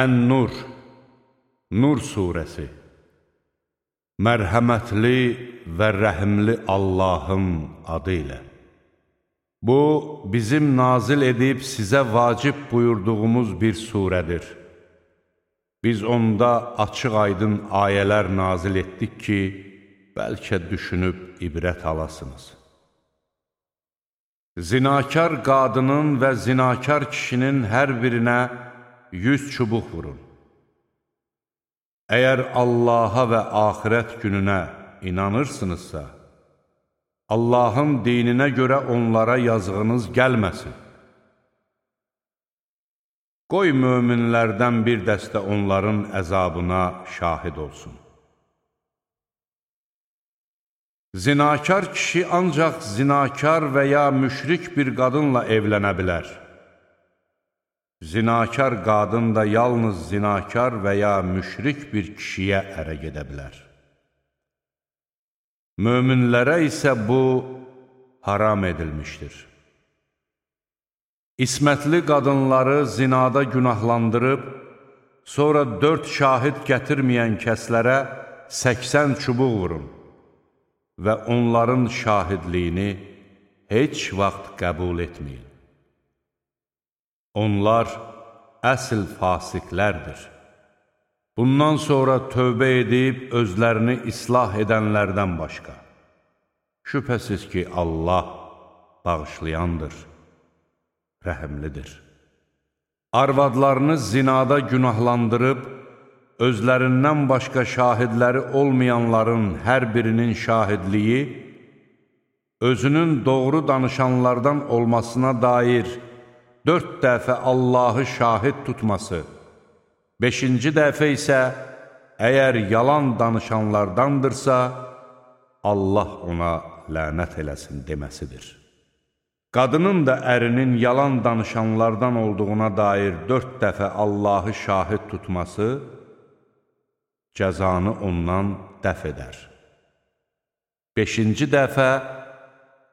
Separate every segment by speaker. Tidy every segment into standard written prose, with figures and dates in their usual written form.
Speaker 1: Ən-Nur, Nur surəsi. Mərhəmətli və rəhimli Allahın adı ilə. Bu, bizim nazil edib sizə vacib buyurduğumuz bir surədir. Biz onda açıq-aydın ayələr nazil etdik ki, bəlkə düşünüb ibrət alasınız. Zinakar qadının və zinakar kişinin hər birinə 100 çubuq vurun. Əgər Allaha və axirət gününə inanırsınızsa, Allahın dininə görə onlara yazığınız gəlməsin. Qoy möminlərdən bir dəstə onların əzabına şahid olsun. Zinakar kişi ancaq zinakar və ya müşrik bir qadınla evlənə bilər. Zinakar qadın da yalnız zinakar və ya müşrik bir kişiyə ərə gedə bilər. Möminlərə isə bu haram edilmişdir. İsmətli qadınları zinada günahlandırıb, sonra 4 şahid gətirməyən kəslərə 80 çubuq vurun və onların şahidliyini heç vaxt qəbul etməyin. Onlar əsl fasiqlərdir. Bundan sonra tövbə edib özlərini islah edənlərdən başqa. Şübhəsiz ki, Allah bağışlayandır, rəhimlidir. Arvadlarını zinada günahlandırıb, özlərindən başqa şahidləri olmayanların hər birinin şahidliyi, özünün doğru danışanlardan olmasına dair 4 dəfə Allahı şahid tutması, 5-ci dəfə isə əgər yalan danışanlardandırsa, Allah ona lənət eləsin deməsidir. Qadının da ərinin yalan danışanlardan olduğuna dair 4 dəfə Allahı şahid tutması, cəzanı ondan dəf edər. 5-ci dəfə,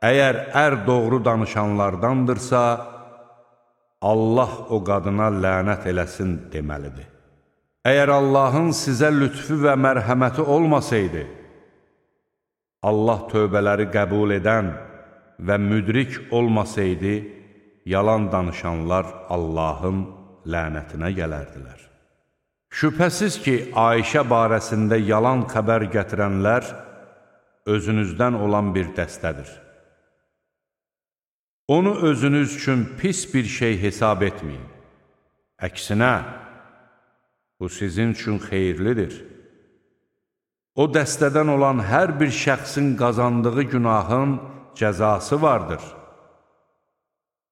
Speaker 1: əgər ər doğru danışanlardandırsa, Allah o qadına lənət eləsin deməlidir. Əgər Allahın sizə lütfü və mərhəməti olmasaydı, Allah tövbələri qəbul edən və müdrik olmasaydı, yalan danışanlar Allahın lənətinə gələrdilər. Şübhəsiz ki, Ayşə barəsində yalan xəbər gətirənlər özünüzdən olan bir dəstədir. Onu özünüz üçün pis bir şey hesab etməyin. Əksinə, bu sizin üçün xeyirlidir. O dəstədən olan hər bir şəxsin qazandığı günahın cəzası vardır.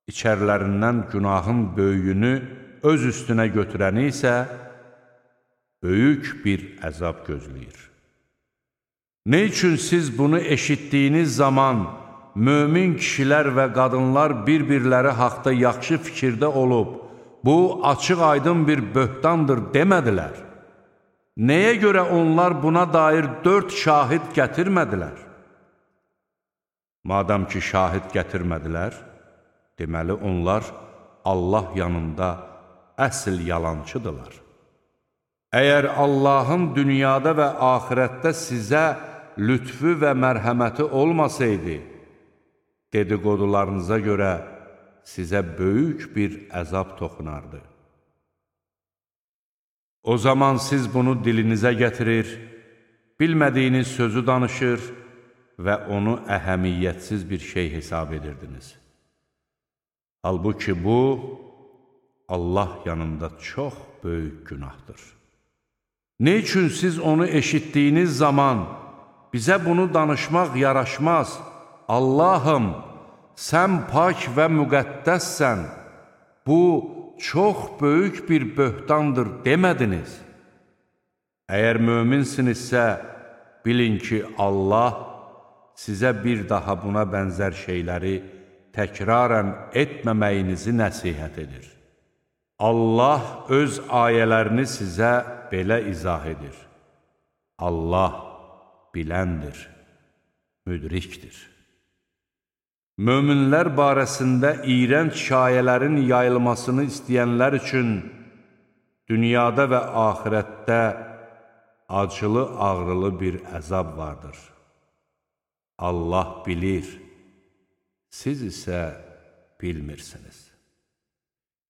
Speaker 1: İçərilərindən günahın böyüyünü öz üstünə götürəni isə böyük bir əzab gözləyir. Nə üçün siz bunu eşitdiyiniz zaman mömin kişilər və qadınlar bir-birləri haqda yaxşı fikirdə olub, bu açıq-aydın bir böhtandır demədilər? Nəyə görə onlar buna dair 4 şahid gətirmədilər? Madam ki, şahid gətirmədilər, deməli onlar Allah yanında əsl yalancıdırlar. Əgər Allahın dünyada və axirətdə sizə lütfü və mərhəməti olmasaydı, dedikodularınıza görə sizə böyük bir əzab toxunardı. O zaman siz bunu dilinizə gətirir, bilmədiyiniz sözü danışır və onu əhəmiyyətsiz bir şey hesab edirdiniz. Halbuki bu, Allah yanında çox böyük günahdır. Ne üçün siz onu eşitdiyiniz zaman bizə bunu danışmaq yaraşmaz, Allahım, sən pak və müqəddəssən, bu çox böyük bir böhtandır demədiniz. Əgər möminsinizsə, bilin ki, Allah sizə bir daha buna bənzər şeyləri təkrarən etməməyinizi nəsihət edir. Allah öz ayələrini sizə belə izah edir. Allah biləndir, müdrikdir. Möminlər barəsində iyrənc şayələrin yayılmasını istəyənlər üçün dünyada və axirətdə acılı-ağrılı bir əzab vardır. Allah bilir, siz isə bilmirsiniz.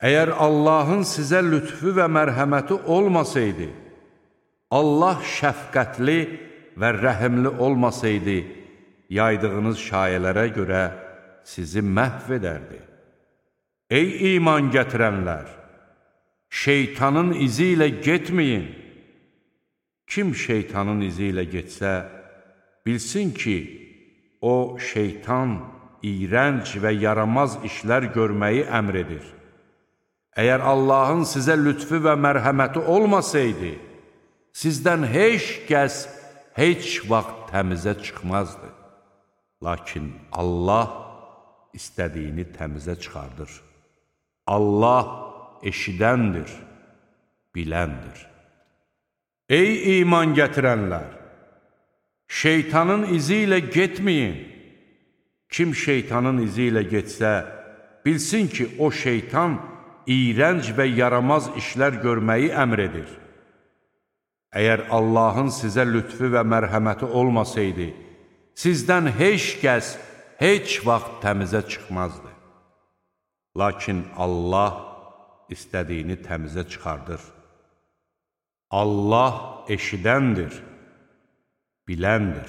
Speaker 1: Əgər Allahın sizə lütfü və mərhəməti olmasaydı, Allah şəfqətli və rəhimli olmasaydı, yaydığınız şayələrə görə sizi məhv edərdi. Ey iman gətirənlər! Şeytanın izi ilə getməyin. Kim şeytanın izi ilə getsə, bilsin ki, o şeytan iyrənc və yaramaz işlər görməyi əmr edir. Əgər Allahın sizə lütfü və mərhəməti olmasaydı, sizdən heç kəs heç vaxt təmizə çıxmazdı. Lakin Allah istədiyini təmizə çıxardır. Allah eşidəndir, biləndir. Ey iman gətirənlər! Şeytanın izi ilə getməyin. Kim şeytanın izi ilə getsə, bilsin ki, o şeytan iyrənc və yaramaz işlər görməyi əmr edir. Əgər Allahın sizə lütfü və mərhəməti olmasaydı, sizdən heç kəs heç vaxt təmizə çıxmazdı. Lakin Allah istədiyini təmizə çıxardır. Allah eşidəndir, biləndir.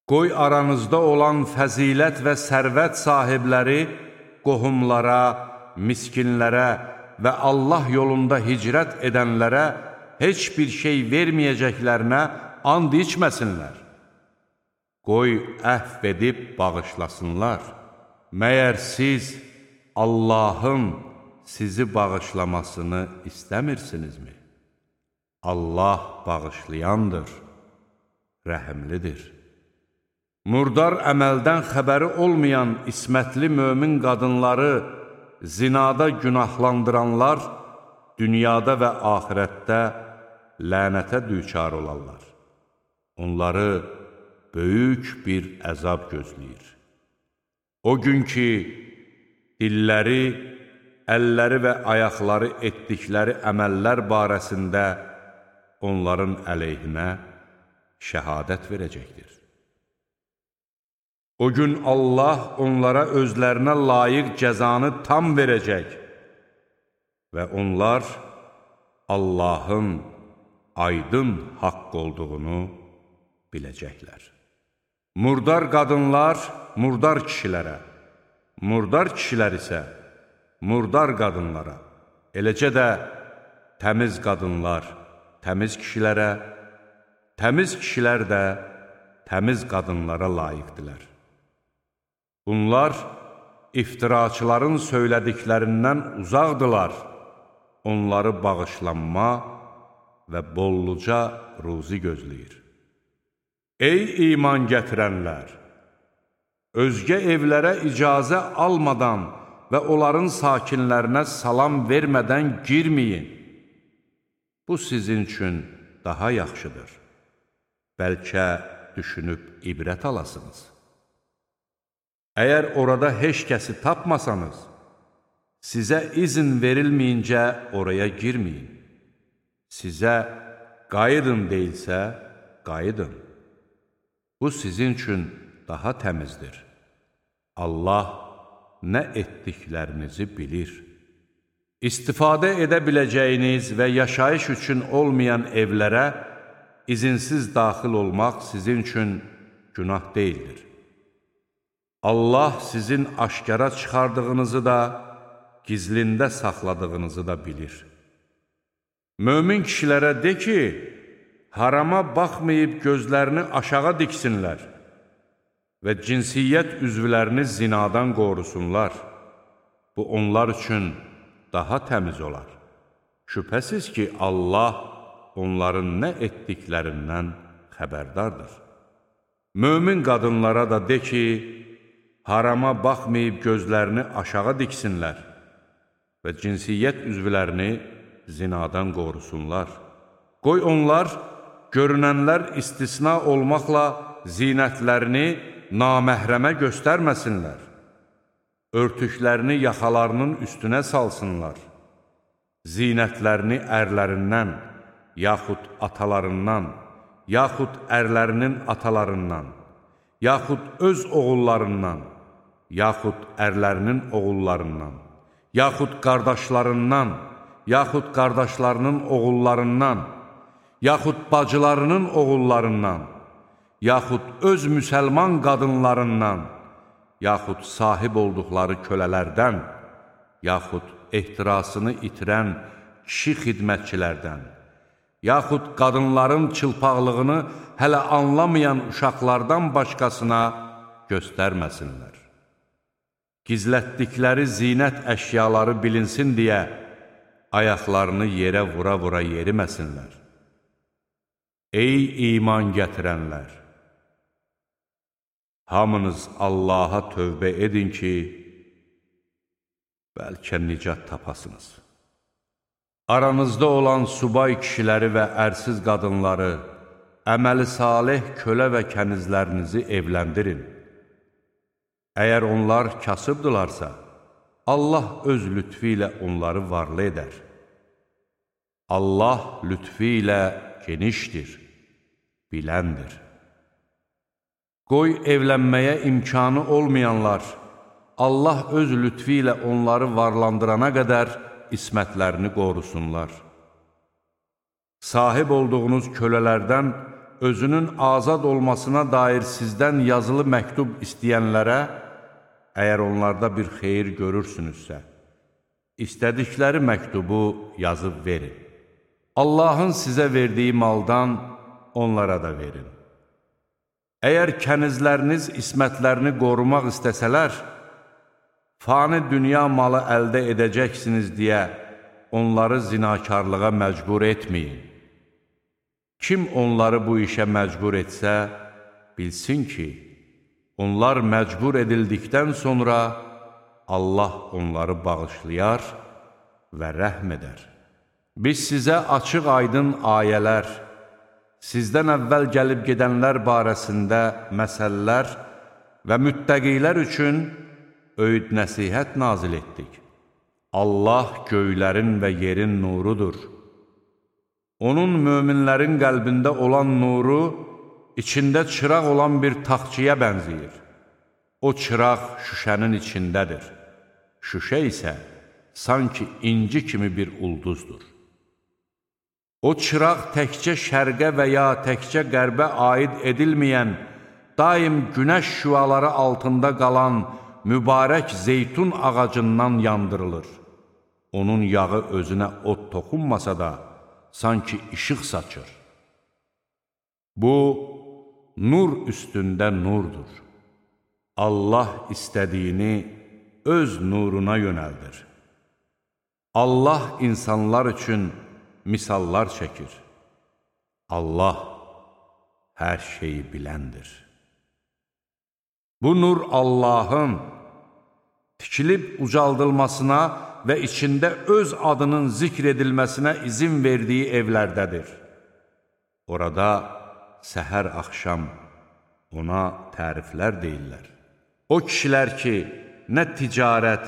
Speaker 1: Qoy aranızda olan fəzilət və sərvət sahibləri qohumlara, miskinlərə və Allah yolunda hicrət edənlərə heç bir şey verməyəcəklərinə and içməsinlər. Qoy əhv edib bağışlasınlar. Məyər siz Allahın sizi bağışlamasını istəmirsinizmi? Allah bağışlayandır, rəhimlidir. Murdar əməldən xəbəri olmayan ismətli mömin qadınları zinada günahlandıranlar dünyada və axirətdə lənətə düçar olarlar. Onları böyük bir əzab gözləyir. O gün ki, dilləri, əlləri və ayaqları etdikləri əməllər barəsində onların əleyhinə şəhadət verəcəkdir. O gün Allah onlara özlərinə layiq cəzanı tam verəcək və onlar Allahın aydın haqq olduğunu biləcəklər. Murdar qadınlar murdar kişilərə, murdar kişilər isə murdar qadınlara, eləcə də təmiz qadınlar təmiz kişilərə, təmiz kişilər də təmiz qadınlara layiqdilər. Bunlar iftiraçıların söylədiklərindən uzaqdılar, onları bağışlanma və bolluca ruzi gözləyir. Ey iman gətirənlər! Özgə evlərə icazə almadan və onların sakinlərinə salam vermədən girməyin. Bu sizin üçün daha yaxşıdır. Bəlkə düşünüb ibrət alasınız. Əgər orada heç kəsi tapmasanız, sizə izin verilməyincə oraya girməyin. Sizə qayıdın deyilsə, qayıdın. Bu sizin üçün daha təmizdir. Allah nə etdiklərinizi bilir. İstifadə edə biləcəyiniz və yaşayış üçün olmayan evlərə izinsiz daxil olmaq sizin üçün günah deyildir. Allah sizin aşkara çıxardığınızı da, gizlində saxladığınızı da bilir. Mömin kişilərə de ki, harama baxmayıb gözlərini aşağı diksinlər və cinsiyyət üzvlərini zinadan qorusunlar. Bu, onlar üçün daha təmiz olar. Şübhəsiz ki, Allah onların nə etdiklərindən xəbərdardır. Mömin qadınlara da de ki, harama baxmayıb gözlərini aşağı diksinlər və cinsiyyət üzvlərini zinadan qorusunlar. Qoy onlar, görünənlər istisna olmaqla zinətlərini naməhrəmə göstərməsinlər. Örtüklərini yaxalarının üstünə salsınlar. zinətlərini ərlərindən, yaxud atalarından, yaxud ərlərinin atalarından, yaxud öz oğullarından, yaxud ərlərinin oğullarından, yaxud qardaşlarından, yaxud qardaşlarının oğullarından, yaxud bacılarının oğullarından, yaxud öz müsəlman qadınlarından, yaxud sahib olduqları kölələrdən, yaxud ehtirasını itirən kişi xidmətçilərdən, yaxud qadınların çılpaqlığını hələ anlamayan uşaqlardan başqasına göstərməsinlər. Gizlətdikləri zinət əşyaları bilinsin deyə ayaqlarını yerə vura-vura yeriməsinlər. Ey iman gətirənlər! Hamınız Allaha tövbə edin ki, bəlkə nicat tapasınız. Aranızda olan subay kişiləri və ərsiz qadınları, əməli salih kölə və kənizlərinizi evləndirin. Əgər onlar kasıbdırlarsa, Allah öz lütfi ilə onları varlı edər. Allah lütfi ilə genişdir, biləndir. Qoy evlənməyə imkanı olmayanlar, Allah öz lütfi ilə onları varlandırana qədər ismətlərini qorusunlar. Sahib olduğunuz kölələrdən özünün azad olmasına dair sizdən yazılı məktub istəyənlərə, əgər onlarda bir xeyir görürsünüzsə, istədikləri məktubu yazıb verin. Allahın sizə verdiyi maldan onlara da verin. Əgər kənizləriniz ismətlərini qorumaq istəsələr, fani dünya malı əldə edəcəksiniz deyə onları zinakarlığa məcbur etməyin. Kim onları bu işə məcbur etsə, bilsin ki, onlar məcbur edildikdən sonra Allah onları bağışlayar və rəhm edər. Biz sizə açıq aydın ayələr, sizdən əvvəl gəlib gedənlər barəsində məsələlər və müttəqilər üçün öyüd nəsihət nazil etdik. Allah göylərin və yerin nurudur. Onun möminlərin qəlbində olan nuru, içində çıraq olan bir taxçıya bənzəyir. O çıraq şüşənin içindədir. Şüşə isə sanki inci kimi bir ulduzdur. O çıraq təkcə şərqə və ya təkcə qərbə aid edilməyən, daim günəş şüaları altında qalan mübarək zeytun ağacından yandırılır. Onun yağı özünə od toxunmasa da, sanki işıq saçır. Bu, nur üstündə nurdur. Allah istədiyini öz nuruna yönəldir. Allah insanlar üçün misallar çəkir. Allah hər şeyi biləndir. Bu nur Allahın tikilib ucaldılmasına və içində öz adının zikr edilməsinə izin verdiyi evlərdədir. Orada səhər-axşam ona təriflər deyirlər. O kişilər ki, nə ticarət,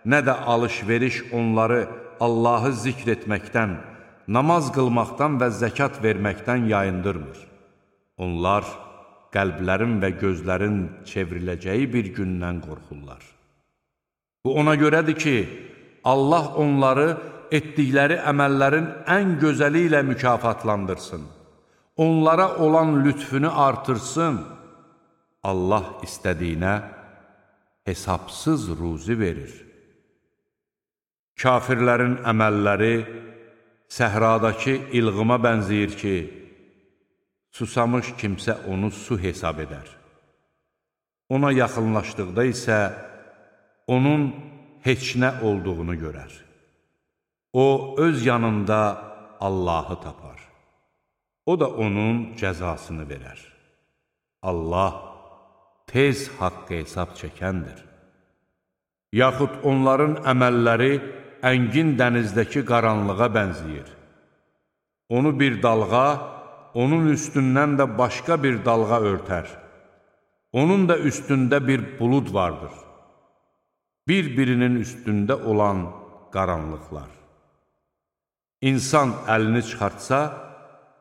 Speaker 1: nə də alış-veriş onları Allahı zikr etməkdən, namaz qılmaqdan və zəkat verməkdən yayındırmır. Onlar qəlblərin və gözlərin çevriləcəyi bir gündən qorxurlar. Bu ona görədir ki, Allah onları etdikləri əməllərin ən gözəli ilə mükafatlandırsın. Onlara olan lütfünü artırsın. Allah istədiyinə hesabsız ruzi verir. Kafirlərin əməlləri səhradakı ilğıma bənzəyir ki, susamış kimsə onu su hesab edər. Ona yaxınlaşdıqda isə onun heç nə olduğunu görər. O, öz yanında Allahı tapar. O da onun cəzasını verər. Allah tez haqqı hesab çəkəndir. Yaxud onların əməlləri əngin dənizdəki qaranlığa bənzəyir. Onu bir dalğa, onun üstündən də başqa bir dalğa örtər. Onun da üstündə bir bulud vardır. Bir-birinin üstündə olan qaranlıqlar. İnsan əlini çıxartsa,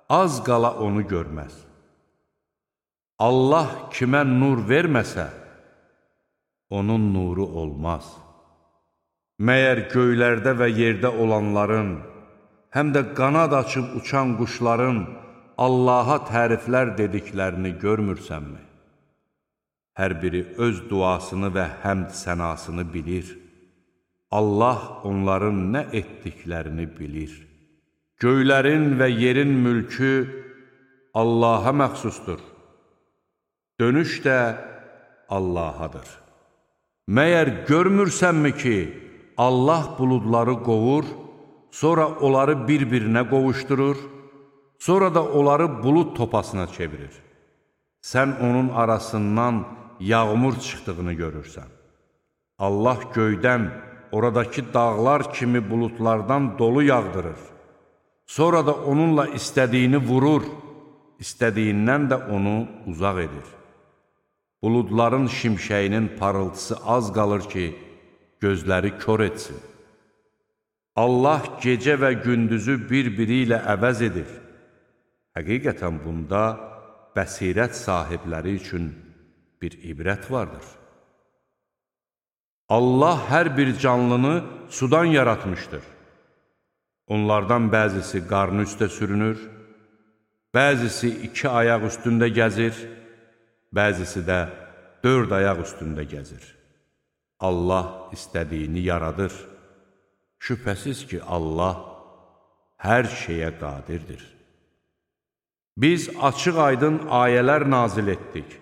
Speaker 1: az qala onu görməz. Allah kimə nur verməsə, onun nuru olmaz. Məyər göylərdə və yerdə olanların, həm də qanad açıb uçan quşların Allaha təriflər dediklərini görmürsənmi? Hər biri öz duasını və həmd sənasını bilir. Allah onların nə etdiklərini bilir. Göylərin və yerin mülkü Allaha məxsusdur. Dönüş də Allahadır. Məyər görmürsənmi ki, Allah buludları qovur, sonra onları bir-birinə qovuşdurur, sonra da onları bulud topasına çevirir. Sən onun arasından yağmur çıxdığını görürsən. Allah göydən oradakı dağlar kimi buludlardan dolu yağdırır. Sonra da onunla istədiyini vurur, istədiyindən də onu uzaq edir. Buludların şimşəyinin parıltısı az qalır ki, gözləri kör etsin. Allah gecə və gündüzü bir-biri ilə əvəz edir. Həqiqətən bunda bəsirət sahibləri üçün bir ibrət vardır. Allah hər bir canlını sudan yaratmışdır. Onlardan bəzisi qarnı üstə sürünür, bəzisi 2 ayaq üstündə gəzir, bəzisi də 4 ayaq üstündə gəzir. Allah istədiyini yaradır. Şübhəsiz ki, Allah hər şeyə qadirdir. Biz açıq-aydın ayələr nazil etdik.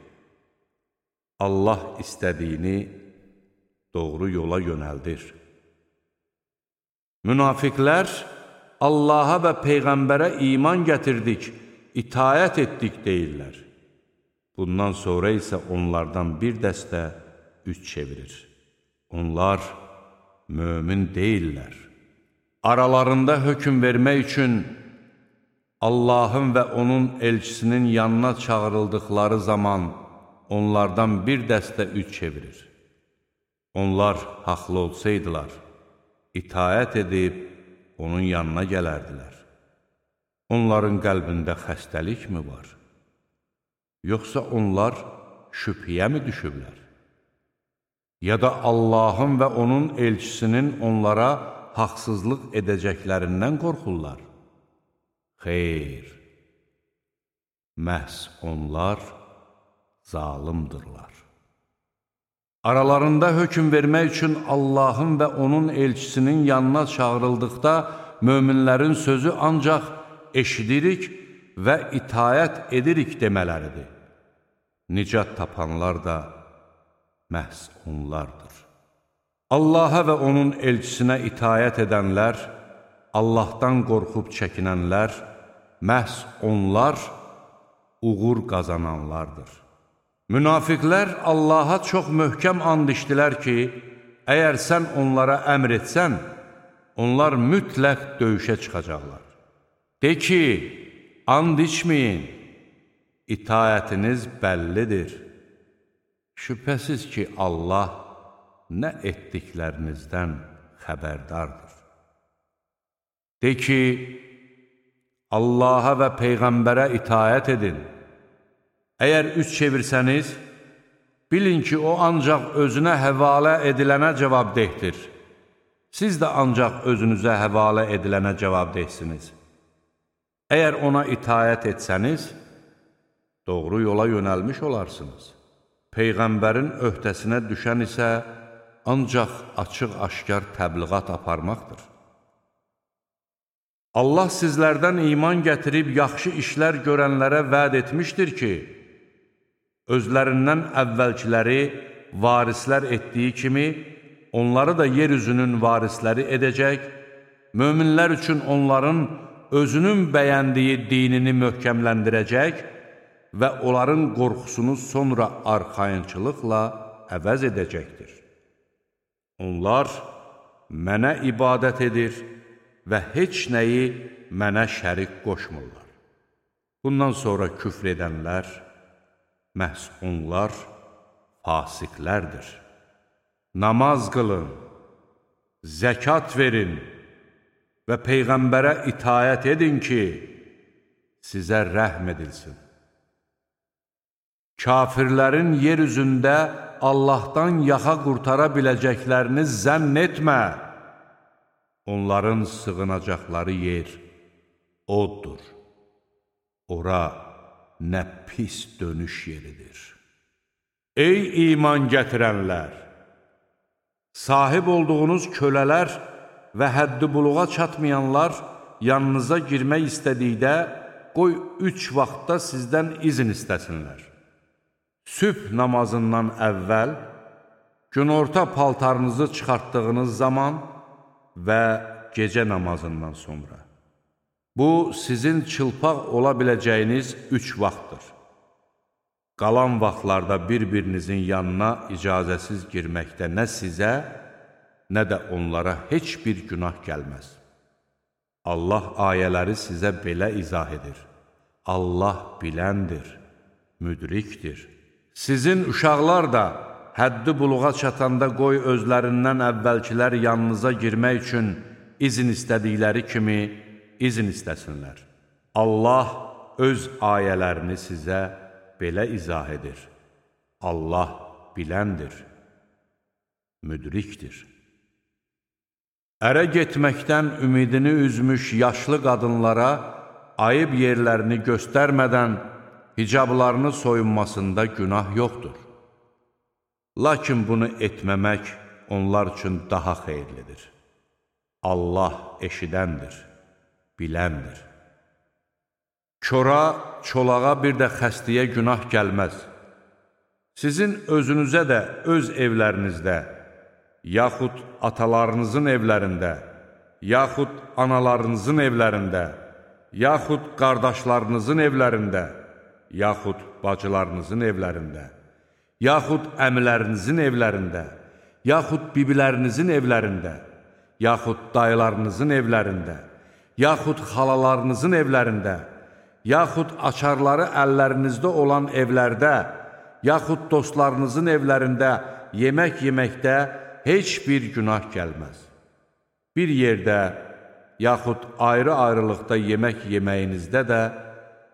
Speaker 1: Allah istədiyini doğru yola yönəldir. Münafiqlər Allaha və Peyğəmbərə iman gətirdik, itayət etdik deyirlər. Bundan sonra isə onlardan bir dəstə üç çevirir. Onlar mömin deyirlər. Aralarında hökm vermək üçün Allahın və onun elçisinin yanına çağırıldıqları zaman onlardan bir dəstə üç çevirir. Onlar haqlı olsaydılar, itayət edib onun yanına gələrdilər. Onların qəlbində xəstəlik mi var? Yoxsa onlar şübhəyə mi düşüblər? Ya da Allahın və onun elçisinin onlara haqsızlıq edəcəklərindən qorxurlar? Xeyr, məhz onlar zalimdırlar. Aralarında hökm vermək üçün Allahın və onun elçisinin yanına çağırıldıqda möminlərin sözü ancaq eşidirik və itayət edirik demələridir. Nicat tapanlar da məhz onlardır. Allaha və onun elçisinə itayət edənlər, Allahdan qorxub çəkinənlər, məhz onlar uğur qazananlardır. Münafiqlər Allaha çox möhkəm and içdilər ki, əgər sən onlara əmr etsən, onlar mütləq döyüşə çıxacaqlar. De ki, and içməyin, itayətiniz bəllidir. Şübhəsiz ki, Allah nə etdiklərinizdən xəbərdardır. De ki, Allaha və Peyğəmbərə itayət edin. Əgər üç çevirsəniz, bilin ki, o ancaq özünə həvalə edilənə cavabdehdir. Siz də ancaq özünüzə həvalə edilənə cavabdehsiniz. Əgər ona itayət etsəniz, doğru yola yönəlmiş olarsınız. Peyğəmbərin öhdəsinə düşən isə ancaq açıq-aşkar təbliğat aparmaqdır. Allah sizlərdən iman gətirib yaxşı işlər görənlərə vəd etmişdir ki, özlərindən əvvəlkiləri varislər etdiyi kimi, onları da yer üzünün varisləri edəcək, möminlər üçün onların özünün bəyəndiyi dinini möhkəmləndirəcək və onların qorxusunu sonra arxayınçılıqla əvəz edəcəkdir. Onlar mənə ibadət edir və heç nəyi mənə şərik qoşmurlar. Bundan sonra küfr edənlər, məhz onlar fasiqlərdir. Namaz qılın, zəkat verin və Peyğəmbərə itayət edin ki, sizə rəhm edilsin. Kafirlərin yer üzündə Allahdan yaxa qurtara biləcəklərini zənn etmə. Onların sığınacaqları yer oddur. Ora nə pis dönüş yeridir. Ey iman gətirənlər! Sahib olduğunuz kölələr və həddi buluğa çatmayanlar yanınıza girmək istədikdə, qoy 3 vaxtda sizdən izin istəsinlər. Sübh namazından əvvəl, günorta paltarınızı çıxartdığınız zaman və gecə namazından sonra. Bu, sizin çılpaq ola biləcəyiniz 3 vaxtdır. Qalan vaxtlarda bir-birinizin yanına icazəsiz girməkdə nə sizə, nə də onlara heç bir günah gəlməz. Allah ayələri sizə belə izah edir. Allah biləndir, müdrikdir. Sizin uşaqlar da həddi buluğa çatanda qoy özlərindən əvvəlkilər yanınıza girmək üçün izin istədikləri kimi izin istəsinlər. Allah öz ayələrini sizə belə izah edir. Allah biləndir, müdrikdir. Ərə getməkdən ümidini üzmüş yaşlı qadınlara ayıb yerlərini göstərmədən hicablarını soyunmasında günah yoxdur. Lakin bunu etməmək onlar üçün daha xeyirlidir. Allah eşidəndir, biləndir. Kora, çolağa bir də xəstəyə günah gəlməz. Sizin özünüzə də öz evlərinizdə, yaxud atalarınızın evlərində, yaxud analarınızın evlərində, yaxud qardaşlarınızın evlərində, yaxud bacılarınızın evlərində, yaxud əmilərinizin evlərində, yaxud bibilərinizin evlərində, yaxud dayılarınızın evlərində, yaxud xalalarınızın evlərində, yaxud açarları əllərinizdə olan evlərdə, yaxud dostlarınızın evlərində yemək yeməkdə heç bir günah gəlməz. Bir yerdə, yaxud ayrı-ayrılıqda yemək yeməyinizdə də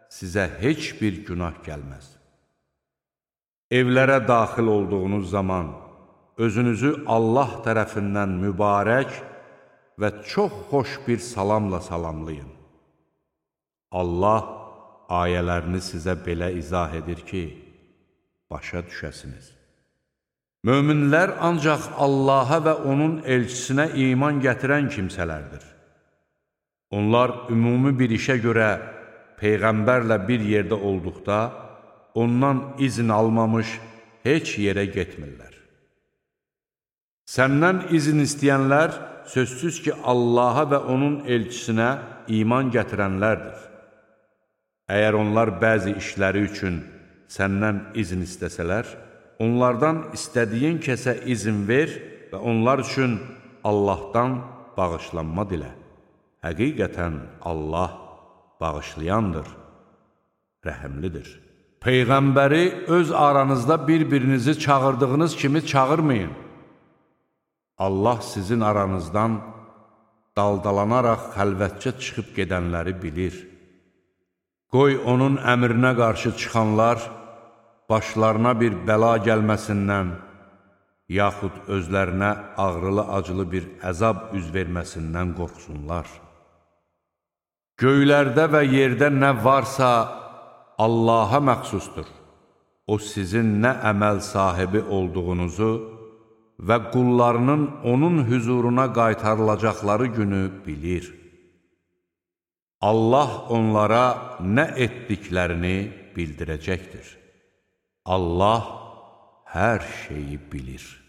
Speaker 1: sizə heç bir günah gəlməz. Evlərə daxil olduğunuz zaman özünüzü Allah tərəfindən mübarək və çox xoş bir salamla salamlayın. Allah ayələrini sizə belə izah edir ki, başa düşəsiniz. Möminlər ancaq Allaha və onun elçisinə iman gətirən kimsələrdir. Onlar ümumi bir işə görə Peyğəmbərlə bir yerdə olduqda, ondan izin almamış heç yerə getmirlər. Səndən izin istəyənlər sözsüz ki, Allaha və onun elçisinə iman gətirənlərdir. Əgər onlar bəzi işləri üçün səndən izin istəsələr, onlardan istədiyin kəsə izin ver və onlar üçün Allahdan bağışlanma dilə. Həqiqətən Allah bağışlayandır, rəhəmlidir. Peyğəmbəri öz aranızda bir-birinizi çağırdığınız kimi çağırmayın. Allah sizin aranızdan daldalanaraq xəlvətcə çıxıb gedənləri bilir. Qoy onun əmrinə qarşı çıxanlar başlarına bir bəla gəlməsindən, yaxud özlərinə ağrılı-acılı bir əzab üz verməsindən qorxsunlar. Göylərdə və yerdə nə varsa Allaha məxsusdur. O sizin nə əməl sahibi olduğunuzu və qullarının onun hüzuruna qaytarılacaqları günü bilir. Allah onlara nə etdiklərini bildirəcəkdir. Allah hər şeyi bilir.